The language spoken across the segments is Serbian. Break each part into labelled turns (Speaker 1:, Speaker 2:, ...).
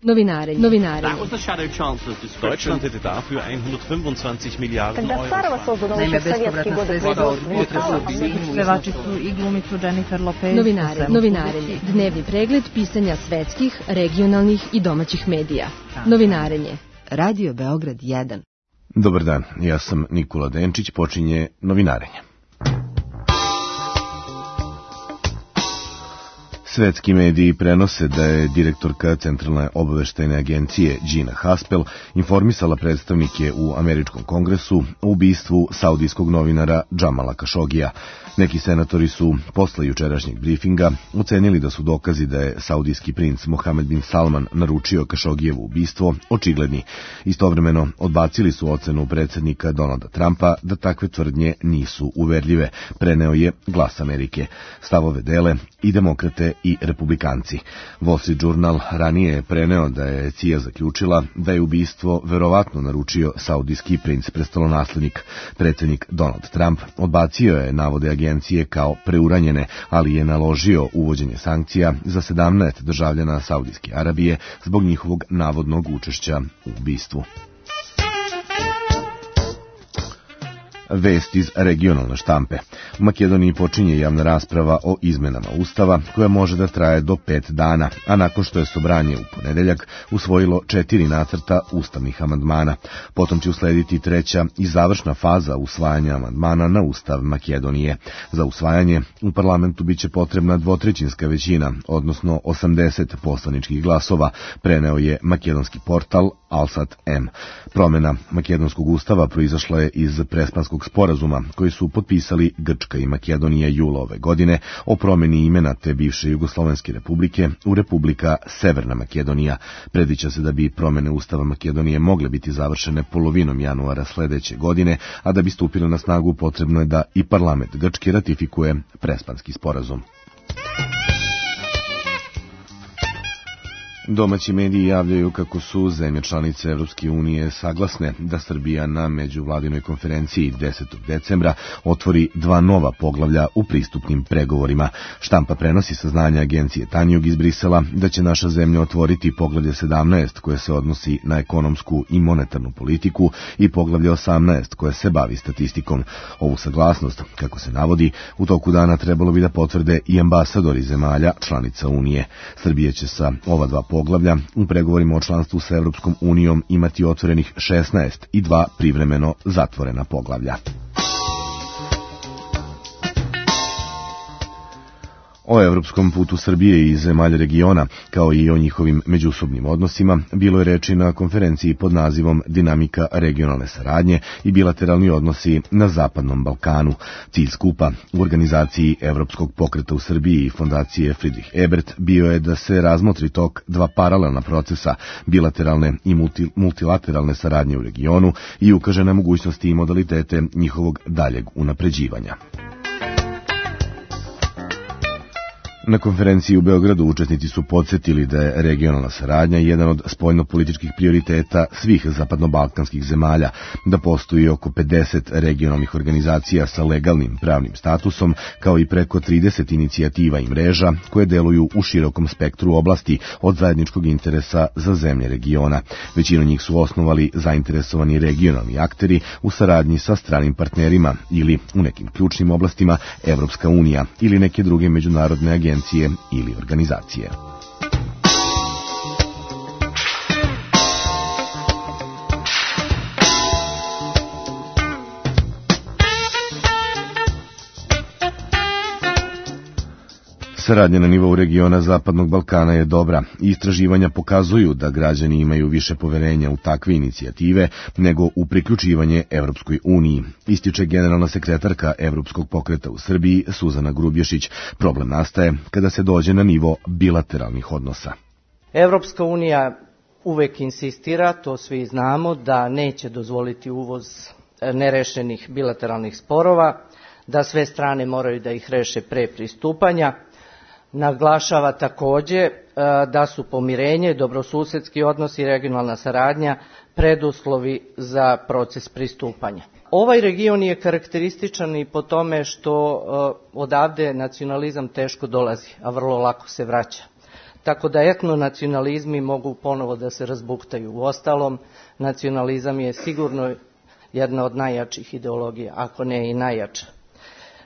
Speaker 1: Novinarenje.
Speaker 2: Deutschland hätte dafür 125 Miliarden Euro.
Speaker 3: Naime, bespovratna sredstva od budžeta su obezbedili pevačicu i glumicu Jennifer Lopez.
Speaker 1: Novinarenje. Dnevni pregled pisanja svetskih, regionalnih i domaćih medija. Novinarenje. Radio Beograd 1.
Speaker 4: Dobar dan, ja sam Nikola Denčić, počinje Novinarenje. Svetski mediji prenose da je direktorka Centralne obaveštajne agencije Gina Haspel informisala predstavnike u Američkom kongresu o ubistvu saudijskog novinara Džamala Kašogija. Neki senatori su posle jučerašnjeg briefinga ocenili da su dokazi da je saudijski princ Mohamed bin Salman naručio Kašogijevo ubistvo očigledni. Istovremeno odbacili su ocenu predsjednika Donalda Trumpa da takve tvrdnje nisu uverljive, preneo je Glas Amerike. Stavove dele i demokrate i republikanci. Wall Street Journal ranije je preneo da je CIA zaključila da je ubistvo verovatno naručio saudijski princ prestolonaslednik. Predsjednik Donald Trump odbacio je navode agencije kao preuranjene, ali je naložio uvođenje sankcija za 17 državljana Saudijske Arabije zbog njihovog navodnog učešća u ubistvu. Vest iz regionalne štampe. U Makedoniji počinje javna rasprava o izmenama Ustava koja može da traje do 5 dana, a nakon što je Sobranje u ponedeljak usvojilo 4 nacrta ustavnih amandmana. Potom će uslediti treća i završna faza usvajanja amandmana na Ustav Makedonije. Za usvajanje u parlamentu biće potrebna dvotrećinska većina, odnosno 80 poslaničkih glasova, preneo je makedonski portal Alsat M. Promjena makedonskog ustava proizašla je iz Prespanskog sporazuma koji su potpisali Grčka i Makedonija jula ove godine o promjeni imena te bivše Jugoslovenske republike u Republika Severna Makedonija. Predviđa se da bi promjene Ustava Makedonije mogle biti završene polovinom januara sledeće godine, a da bi stupile na snagu potrebno je da i parlament Grčke ratifikuje Prespanski sporazum. Domaći mediji javljaju kako su zemlje članice Evropske unije saglasne da Srbija na međuvladinoj konferenciji 10. decembra otvori 2 nova poglavlja u pristupnim pregovorima. Štampa prenosi saznanja agencije Tanjug iz Brisela da će naša zemlja otvoriti poglavlje 17 koje se odnosi na ekonomsku i monetarnu politiku i poglavlje 18 koje se bavi statistikom. Ovu saglasnost, kako se navodi, u toku dana trebalo bi da potvrde i ambasadori zemalja članica Unije. Srbija će sa ova 2 poglavlja u pregovorima o članstvu sa Evropskom unijom imati otvorenih 16 i 2 privremeno zatvorena poglavlja. O evropskom putu Srbije i zemalja regiona, kao i o njihovim međusobnim odnosima, bilo je reči na konferenciji pod nazivom Dinamika regionalne saradnje i bilateralni odnosi na Zapadnom Balkanu. Cilj skupa u organizaciji Evropskog pokreta u Srbiji i fondacije Friedrich Ebert bio je da se razmotri tok 2 paralelna procesa, bilateralne i multilateralne saradnje u regionu i ukaže na mogućnosti i modalitete njihovog daljeg unapređivanja. Na konferenciji u Beogradu učesnici su podsjetili da je regionalna saradnja jedan od spoljnopolitičkih prioriteta svih zapadnobalkanskih zemalja, da postoji oko 50 regionalnih organizacija sa legalnim pravnim statusom, kao i preko 30 inicijativa i mreža koje deluju u širokom spektru oblasti od zajedničkog interesa za zemlje regiona. Većinu njih su osnovali zainteresovani regionalni akteri u saradnji sa stranim partnerima ili u nekim ključnim oblastima Evropska unija ili neke druge međunarodne agencije ili organizacije. Saradnja na nivou regiona Zapadnog Balkana je dobra i istraživanja pokazuju da građani imaju više poverenja u takve inicijative nego u priključivanje Evropskoj uniji, ističe generalna sekretarka Evropskog pokreta u Srbiji Suzana Grubješić. Problem nastaje kada se dođe na nivo bilateralnih odnosa.
Speaker 5: Evropska unija uvek insistira, to svi znamo, da neće dozvoliti uvoz nerešenih bilateralnih sporova, da sve strane moraju da ih reše pre pristupanja. Naglašava takođe da su pomirenje, dobrosusedski odnosi i regionalna saradnja preduslovi za proces pristupanja. Ovaj region je karakterističan i po tome što odavde nacionalizam teško dolazi, a vrlo lako se vraća. tako da etnonacionalizmi mogu ponovo da se razbuktaju. Uostalom, nacionalizam je sigurno jedna od najjačih ideologija, ako ne i najjača.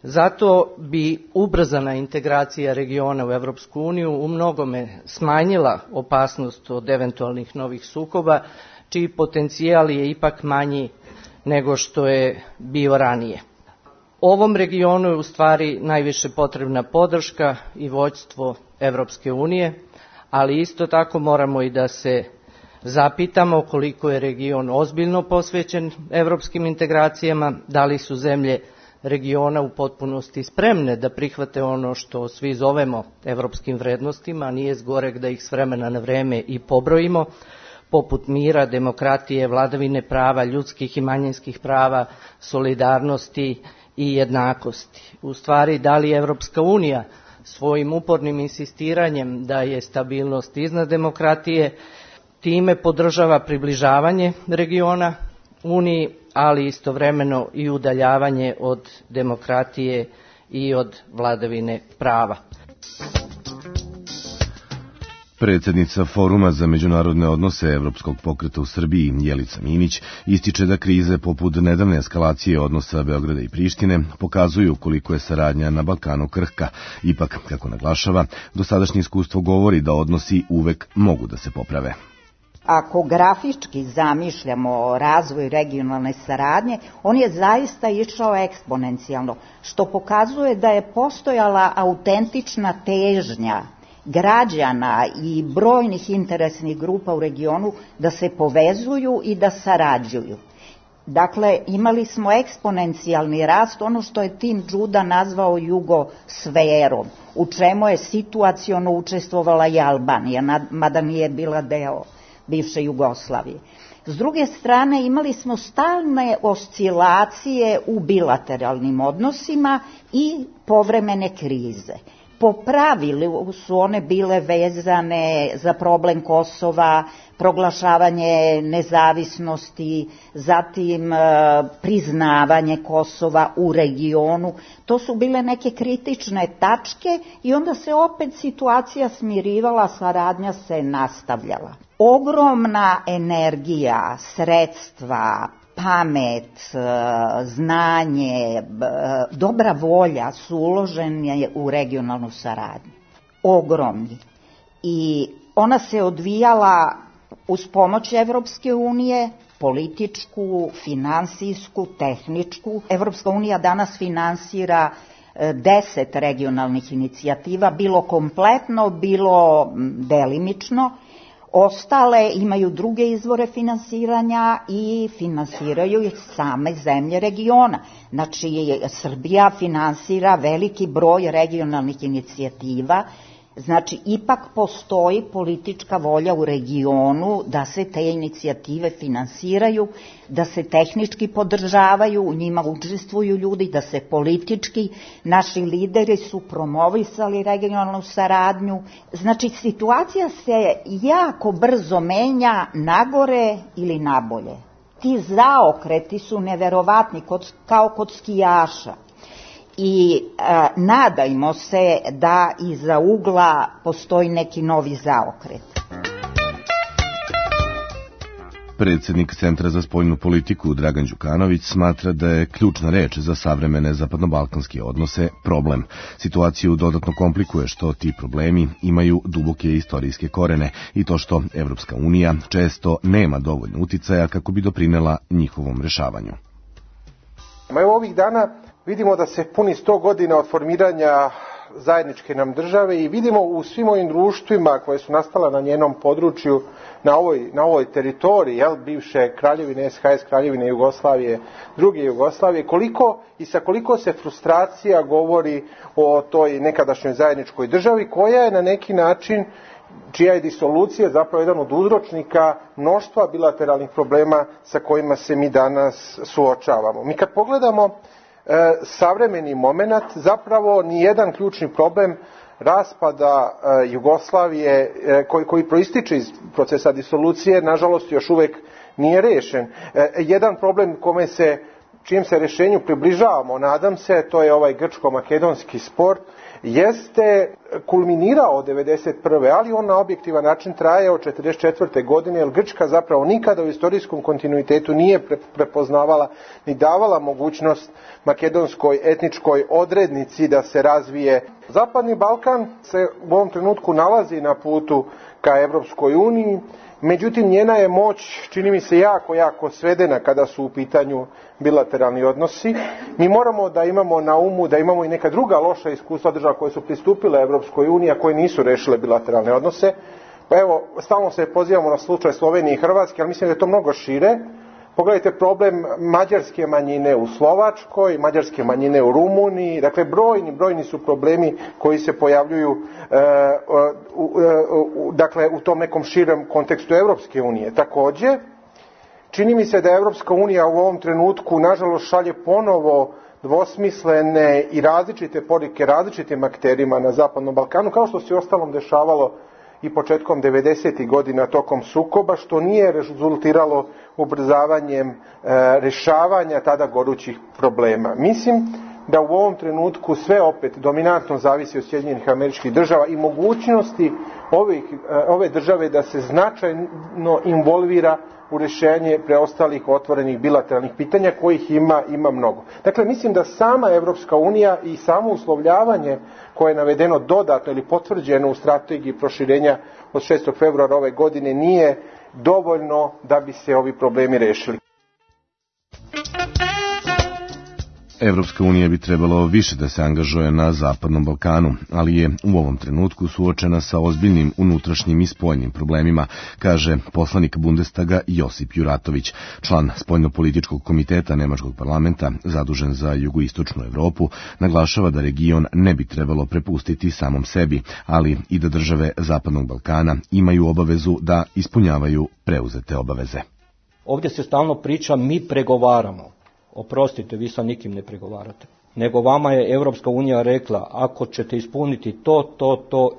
Speaker 5: Zato bi ubrzana integracija regiona u Evropsku uniju u mnogome smanjila opasnost od eventualnih novih sukoba, čiji potencijal je ipak manji nego što je bio ranije. Ovom regionu je u stvari najviše potrebna podrška i vođstvo Evropske unije, ali isto tako moramo i da se zapitamo koliko je region ozbiljno posvećen evropskim integracijama, da li su zemlje regiona u potpunosti spremne da prihvate ono što svi zovemo evropskim vrednostima, a nije zgoreg da ih s vremena na vreme i pobrojimo, poput mira, demokratije, vladavine prava, ljudskih i manjinskih prava, solidarnosti i jednakosti. U stvari, da li Evropska unija svojim upornim insistiranjem da je stabilnost iznad demokratije, time podržava približavanje regiona Uniji, ali istovremeno i udaljavanje od demokratije i od vladavine prava.
Speaker 4: Predsjednica Foruma za međunarodne odnose Evropskog pokreta u Srbiji, Jelica Minić, ističe da krize poput nedavne eskalacije odnosa Beograda i Prištine pokazuju koliko je saradnja na Balkanu krhka. Ipak, kako naglašava, dosadašnje iskustvo govori da odnosi uvek mogu da se poprave.
Speaker 6: Ako grafički zamišljamo razvoj regionalne saradnje, on je zaista išao eksponencijalno, što pokazuje da je postojala autentična težnja građana i brojnih interesnih grupa u regionu da se povezuju i da sarađuju. Dakle, imali smo eksponencijalni rast, ono što je Tim Đuda nazvao jugosferom, u čemu je situaciono učestvovala i Albanija, mada nije bila deo bivše Jugoslavije. S druge strane, imali smo stalne oscilacije u bilateralnim odnosima i povremene krize. Po pravilu su one bile vezane za problem Kosova, proglašavanje nezavisnosti, zatim priznavanje Kosova u regionu. To su bile neke kritične tačke i onda se opet situacija smirivala, saradnja se nastavljala. Ogromna energija, sredstva, pamet, znanje, dobra volja su uložene u regionalnu saradnju. Ogromni. I ona se odvijala uz pomoć Evropske unije, političku, finansijsku, tehničku. Evropska unija danas finansira 10 regionalnih inicijativa, bilo kompletno, bilo delimično. Ostale imaju druge izvore finansiranja i finansiraju ih same zemlje regiona. Znači, Srbija finansira veliki broj regionalnih inicijativa. Znači, ipak postoji politička volja u regionu da se te inicijative finansiraju, da se tehnički podržavaju, u njima učestvuju ljudi, da se politički, naši lideri su promovisali regionalnu saradnju. Znači, situacija se jako brzo menja nagore ili nabolje. Ti zaokreti su neverovatni, kao kod skijaša. I nadajmo se da iza ugla postoji neki novi zaokret.
Speaker 4: Predsjednik Centra za spoljnu politiku Dragan Đukanović smatra da je ključna reč za savremene zapadnobalkanske odnose problem. Situaciju dodatno komplikuje što ti problemi imaju duboke istorijske korene i to što Evropska unija često nema dovoljno uticaja kako bi doprinela njihovom rešavanju.
Speaker 7: Evo ovih dana vidimo da se puni 100 godina od formiranja zajedničke nam države i vidimo u svim ovim društvima koje su nastala na njenom području, na ovoj teritoriji, bivše kraljevine SHS, kraljevine Jugoslavije, druge Jugoslavije, koliko i sa koliko se frustracija govori o toj nekadašnjoj zajedničkoj državi koja je na neki način, čija je disolucija zapravo jedan od uzročnika mnoštva bilateralnih problema sa kojima se mi danas suočavamo. Mi kad pogledamo savremeni moment, zapravo nijedan ključni problem raspada Jugoslavije koji proističe iz procesa disolucije, nažalost još uvek nije rešen. Jedan problem čijem se rešenju približavamo, nadam se, to je ovaj grčko-makedonski spor, jeste kulminirao od 1991. ali on na objektivan način traje od 1944. godine, jer Grčka zapravo nikada u istorijskom kontinuitetu nije prepoznavala ni davala mogućnost makedonskoj etničkoj odrednici da se razvije. Zapadni Balkan se u ovom trenutku nalazi na putu ka Evropskoj uniji, međutim njena je moć, čini mi se, jako svedena kada su u pitanju bilateralni odnosi. Mi moramo da imamo na umu da imamo i neka druga loša iskustva država koje su pristupile Evropskoj uniji, a koje nisu rešile bilateralne odnose. Pa evo, stalno se pozivamo na slučaj Slovenije i Hrvatske, ali mislim da je to mnogo šire. Pogledajte problem mađarske manjine u Slovačkoj, mađarske manjine u Rumuniji, dakle brojni su problemi koji se pojavljuju u tom nekom širem kontekstu Evropske unije. Takođe, čini mi se da Evropska unija u ovom trenutku nažalost šalje ponovo dvosmislene i različite poruke različitim akterima na Zapadnom Balkanu, kao što se ostalom dešavalo i početkom 90. godina tokom sukoba, što nije rezultiralo ubrzavanjem rešavanja tada gorućih problema. Mislim da u ovom trenutku sve opet dominantno zavisi od Sjedinjenih Američkih Država i mogućnosti ove države da se značajno involvira u rešenje preostalih otvorenih bilateralnih pitanja, kojih ima mnogo. Dakle, mislim da sama Evropska unija i samo uslovljavanje koje je navedeno dodatno ili potvrđeno u strategiji proširenja od 6. februara ove godine nije dovoljno da bi se ovi problemi rešili.
Speaker 4: Evropska unija bi trebalo više da se angažuje na Zapadnom Balkanu, ali je u ovom trenutku suočena sa ozbiljnim unutrašnjim i spoljnim problemima, kaže poslanik Bundestaga Josip Juratović, član spoljnopolitičkog komiteta Nemačkog parlamenta zadužen za jugoistočnu Evropu, naglašava da region ne bi trebalo prepustiti samom sebi, ali i da države Zapadnog Balkana imaju obavezu da ispunjavaju preuzete obaveze.
Speaker 8: Ovdje se stalno priča mi pregovaramo. Oprostite, vi sa nikim ne pregovarate. Nego vama je Evropska unija rekla, ako ćete ispuniti to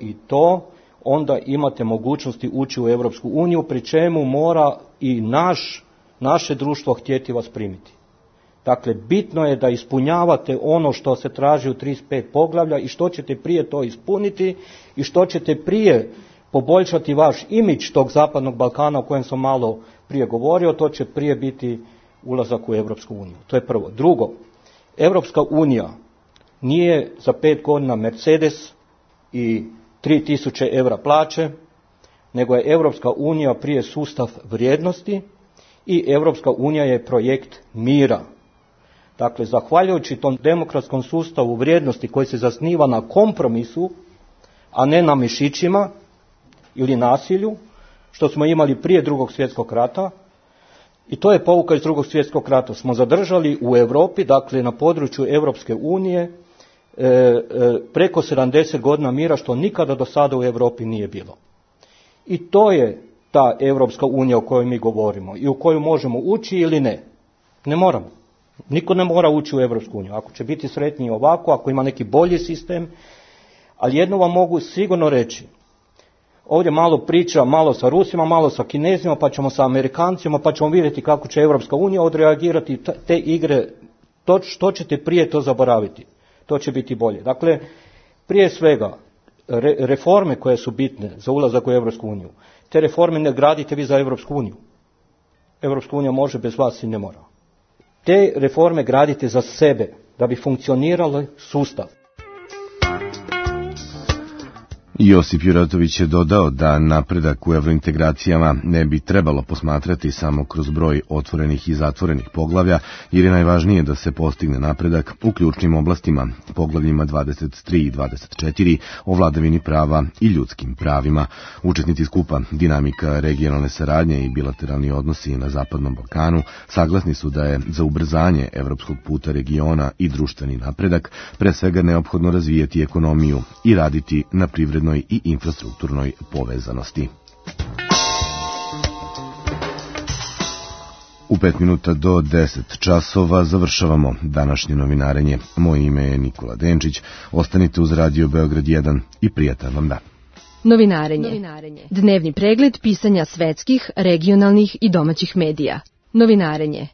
Speaker 8: i to, onda imate mogućnosti ući u Evropsku uniju, pri čemu mora i naše društvo htjeti vas primiti. Dakle, bitno je da ispunjavate ono što se traži u 35 poglavlja i što ćete prije to ispuniti i što ćete prije poboljšati vaš imidž tog Zapadnog Balkana o kojem sam malo prije govorio, to će prije biti ulazak u Evropsku uniju. To je prvo. Drugo, Evropska unija nije za 5 godina Mercedes i 3000 evra plaće, nego je Evropska unija prije sustav vrijednosti i Evropska unija je projekt mira. Dakle, zahvaljujući tom demokratskom sustavu vrijednosti koji se zasniva na kompromisu, a ne na mišićima ili nasilju, što smo imali prije Drugog svjetskog rata, i to je pouka iz Drugog svjetskog rata. Smo zadržali u Europi, dakle na području Europske unije, preko 70 godina mira, što nikada do sada u Europi nije bilo. I to je ta Europska unija o kojoj mi govorimo i u koju možemo ući ili ne. Ne moramo. Niko ne mora ući u Europsku uniju. Ako će biti sretniji ovako, ako ima neki bolji sistem, ali jedno vam mogu sigurno reći. Ovdje malo priča, malo sa Rusima, malo sa Kinezima, pa ćemo sa Amerikancima, pa ćemo vidjeti kako će Evropska unija odreagirati. Te igre, što ćete prije to zaboraviti? To će biti bolje. Dakle, prije svega, reforme koje su bitne za ulazak u Evropsku uniju, te reforme ne gradite vi za Evropsku uniju. Evropska unija može bez vas i ne mora. Te reforme gradite za sebe, da bi funkcionirali sustav.
Speaker 4: Josip Juratović je dodao da napredak u evrointegracijama ne bi trebalo posmatrati samo kroz broj otvorenih i zatvorenih poglavlja, jer je najvažnije da se postigne napredak u ključnim oblastima, poglavljima 23 i 24 o vladavini prava i ljudskim pravima. Učesnici skupa Dinamika regionalne saradnje i bilateralni odnosi na Zapadnom Balkanu saglasni su da je za ubrzanje evropskog puta regiona i društveni napredak pre svega neophodno razvijati ekonomiju i raditi na privrednoj i infrastrukturnoj povezanosti. U 5 minuta do 10 časova završavamo današnje novinarenje. Moje ime je Nikola Denčić. Ostanite uz Radio Beograd 1 i prijatan vam dan.
Speaker 1: Novinarenje. Dnevni pregled pisanja svetskih, regionalnih i domaćih medija. Novinarenje.